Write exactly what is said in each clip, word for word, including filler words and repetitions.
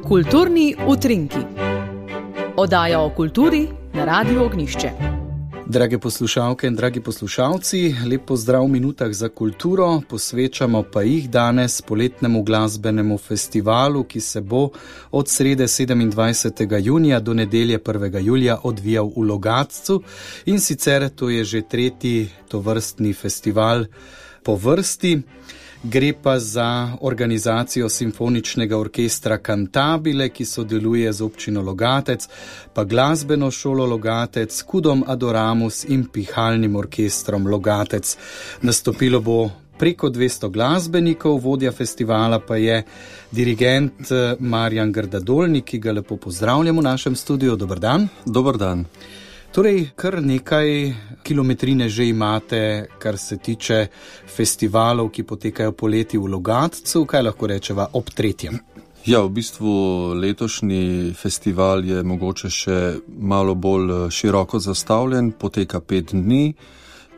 Kulturni utrinki. Oddaja o kulturi na Radiu Ognjišče. Drage poslušalke in dragi poslušalci, lep pozdrav v minutah za kulturo, posvečamo pa jih danes poletnemu glasbenemu festivalu, ki se bo od srede sedemindvajsetega junija do nedelje prvega julija odvijal v Logatcu, in sicer to je že tretji tovrstni festival po vrsti. Gre pa za organizacijo Simfoničnega orkestra Cantabile, ki sodeluje z občino Logatec, pa glasbeno šolo Logatec, Kudom Adoramus in pihalnim orkestrom Logatec. Nastopilo bo preko dvesto glasbenikov, vodja festivala pa je dirigent Marjan Grdadolnik, ki ga lepo pozdravljamo v našem studiu. Dober dan. Dober dan. Torej, kar nekaj kilometrine že imate, kar se tiče festivalov, ki potekajo poleti v Logatcu. Kaj lahko rečeva ob tretjem? Ja, v bistvu letošnji festival je mogoče še malo bolj široko zastavljen, poteka pet dni.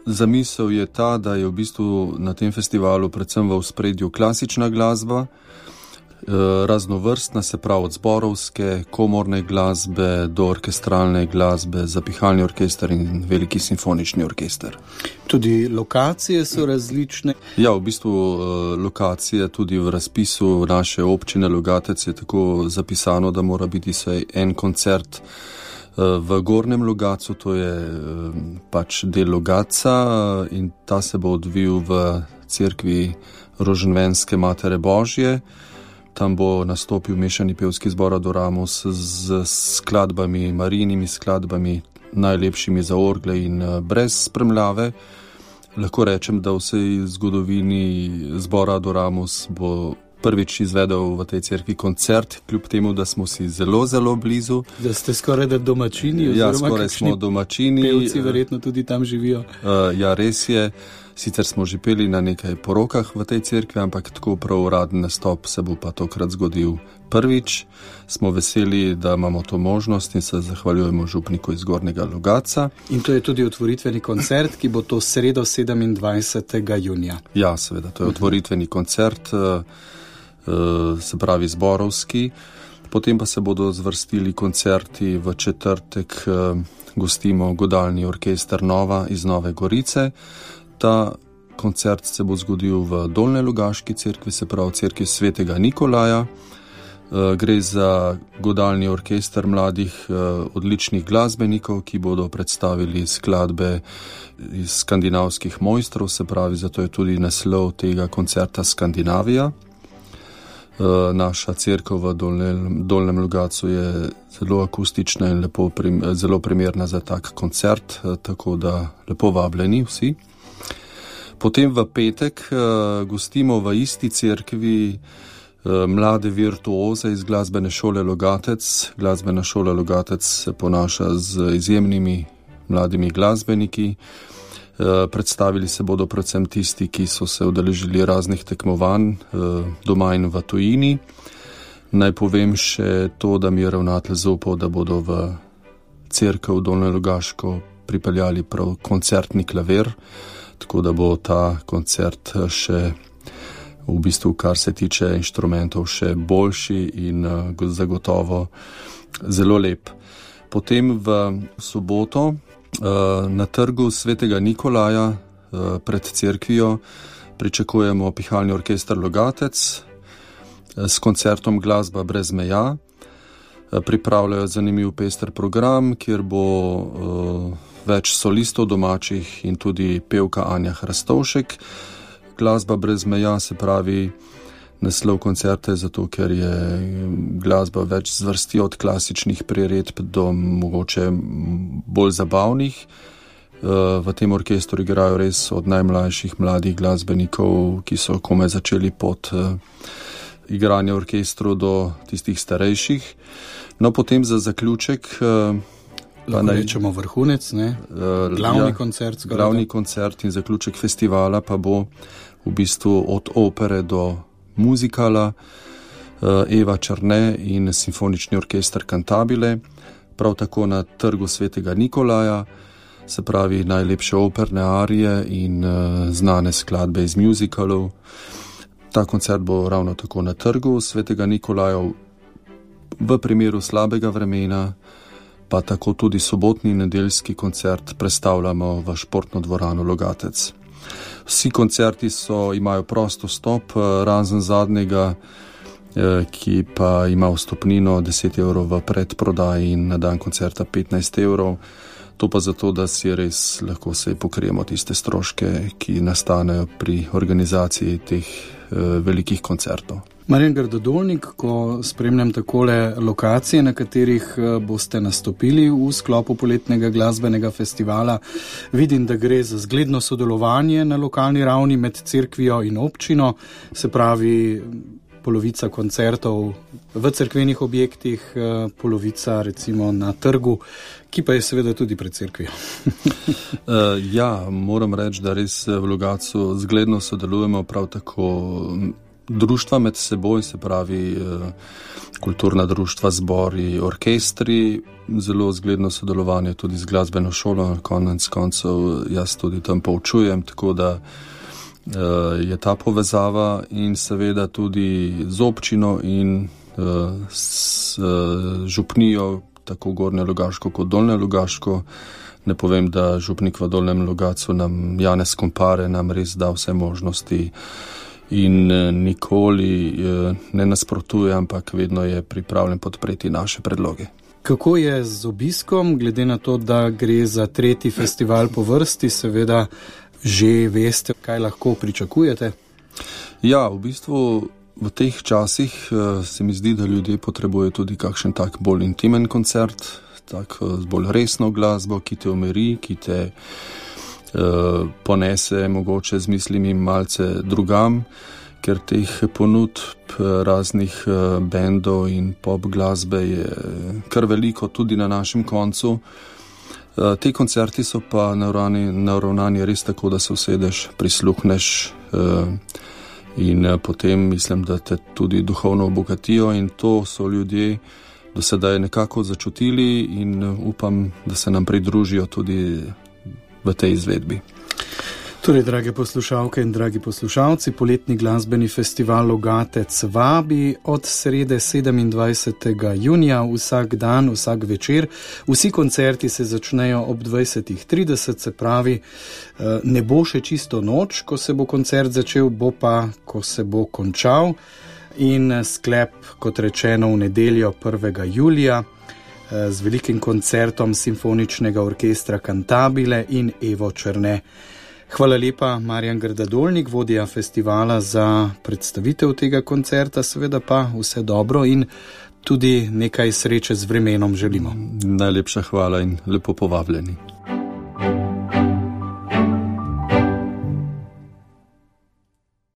Zamisel je ta, da je v bistvu na tem festivalu predvsem v ospredju klasična glasba, raznovrstna, se pravi od zborovske, komorne glasbe do orkestralne glasbe za pihalni orkester in veliki simfonični orkester. Tudi lokacije so različne? Ja, v bistvu lokacije tudi v razpisu naše občine Logatec je tako zapisano, da mora biti vsaj en koncert v Gornjem Logatcu, to je pač del Logatca, in ta se bo odvil v cerkvi Roženvenske Matere Božje. Tam bo nastopil mešani pevski zbor Adoramus z skladbami, Marijinimi skladbami, najlepšimi za orgle in brez spremljave. Lahko rečem, da v vsej zgodovini zbora Adoramus bo prvič izvedel v tej cerkvi koncert, kljub temu, da smo si zelo, zelo blizu. Da ste skoraj da domačini? Ja, skoraj smo domačini. Pevci verjetno tudi tam živijo. Uh, ja, res je. Sicer smo že peli na nekaj porokah v tej cerkvi, ampak tako prav uraden nastop se bo pa tokrat zgodil prvič. Smo veseli, da imamo to možnost in se zahvaljujemo župniku iz Gornjega Logatca. In to je tudi otvoritveni koncert, ki bo to sredo sedemindvajsetega junija. Ja, seveda, to je otvoritveni koncert, se pravi zborovski. Potem pa se bodo zvrstili koncerti. V četrtek gostimo godalni orkester Nova iz Nove Gorice. Ta koncert se bo zgodil v Dolnjelogaški cerkvi, se pravi cerkvi svetega Nikolaja. Gre za godalni orkester mladih odličnih glasbenikov, ki bodo predstavili skladbe iz skandinavskih mojstrov, se pravi, zato je tudi naslov tega koncerta Skandinavija. Naša cerkev v Dolnjem, Dolnjem Logatcu je zelo akustična in lepo, zelo primerna za tak koncert, tako da lepo vabljeni vsi. Potem v petek uh, gostimo v isti cerkvi uh, mlade virtuoze iz glasbene šole Logatec. Glasbena šola Logatec se ponaša z izjemnimi mladimi glasbeniki. Uh, predstavili se bodo predvsem tisti, ki so se udeležili raznih tekmovanj uh, doma in v tujini. Naj povem še to, da mi je ravnatelj zaupal, da bodo v cerkev Dolnjelogaško pripeljali prav koncertni klavir, tako da bo ta koncert še v bistvu, kar se tiče inštrumentov, še boljši in uh, zagotovo zelo lep. Potem v soboto uh, na trgu svetega Nikolaja uh, pred cerkvijo pričakujemo pihalni orkester Logatec uh, s koncertom Glasba brez meja. Uh, pripravljajo zanimiv pester program, kjer bo uh, več solistov domačih in tudi pevka Anja Hrastovšek. Glasba brez meja, se pravi naslov koncerta, zato ker je glasba več zvrsti od klasičnih priredb do mogoče bolj zabavnih. V tem orkestru igrajo res od najmlajših mladih glasbenikov, ki so komaj začeli pot igranja orkestru, do tistih starejših. No, potem za zaključek lahko naj, rečemo vrhunec, ne? Glavni ja, koncert. Glavni koncert in zaključek festivala pa bo v bistvu od opere do muzikala Eva Černe in Simfonični orkester Cantabile, prav tako na trgu svetega Nikolaja, se pravi najlepše operne arije in znane skladbe iz muzikalov. Ta koncert bo ravno tako na trgu svetega Nikolaja. v primeru slabega vremena pa tako tudi sobotni in nedeljski koncert prestavljamo v športno dvorano Logatec. Vsi koncerti so, imajo prost vstop, razen zadnjega, ki pa ima vstopnino deset evrov v predprodaji in na dan koncerta petnajst evrov. To pa zato, da si res lahko se pokrijemo tiste stroške, ki nastanejo pri organizaciji teh eh, velikih koncertov. Marjan Grdadolnik, ko spremljam takole lokacije, na katerih boste nastopili v sklopu poletnega glasbenega festivala, vidim, da gre za zgledno sodelovanje na lokalni ravni med cerkvijo in občino, se pravi polovica koncertov v cerkvenih objektih, polovica recimo na trgu, ki pa je seveda tudi pred cerkvijo. uh, ja, moram reči, da res v Logatcu zgledno sodelujemo, prav tako društva med seboj, se pravi kulturna društva, zbori, orkestri, zelo zgledno sodelovanje tudi z glasbeno šolo, konec koncev jaz tudi tam poučujem, tako da je ta povezava in seveda tudi z občino in s župnijo, tako Gornje Logaško kot Dolnje Logaško. Ne povem, da župnik v Dolnjem Logatcu nam, Janez Kompare, nam res da vse možnosti in nikoli ne nasprotuje, ampak vedno je pripravljen podpreti naše predloge. Kako je z obiskom, glede na to, da gre za tretji festival po vrsti, seveda že veste, kaj lahko pričakujete? Ja, v bistvu v teh časih se mi zdi, da ljudje potrebujejo tudi kakšen tak bolj intimen koncert, tak z bolj resno glasbo, ki te umiri, ki te uh, ponese mogoče z mislimi malce drugam, ker teh ponudb raznih uh, bendov in pop glasbe je kar veliko tudi na našem koncu. Uh, te koncerti so pa naravnani, naravnani res tako, da se usedeš, prisluhneš uh, in uh, potem mislim, da te tudi duhovno obogatijo in to so ljudje do sedaj nekako začutili in uh, upam, da se nam pridružijo tudi v tej izvedbi. Torej, drage poslušalke in dragi poslušalci, poletni glasbeni festival Logatec vabi od srede sedemindvajsetega junija vsak dan, vsak večer. Vsi koncerti se začnejo ob dvajsetih trideset, se pravi, ne bo še čisto noč, ko se bo koncert začel, bo pa, ko se bo končal. In sklep, kot rečeno, v nedeljo prvega julija z velikim koncertom Simfoničnega orkestra Cantabile in Evo Černe. Hvala lepa, Marjan Grdadolnik, vodja festivala, za predstavitev tega koncerta, seveda pa vse dobro in tudi nekaj sreče z vremenom želimo. Najlepša hvala in lepo povabljeni.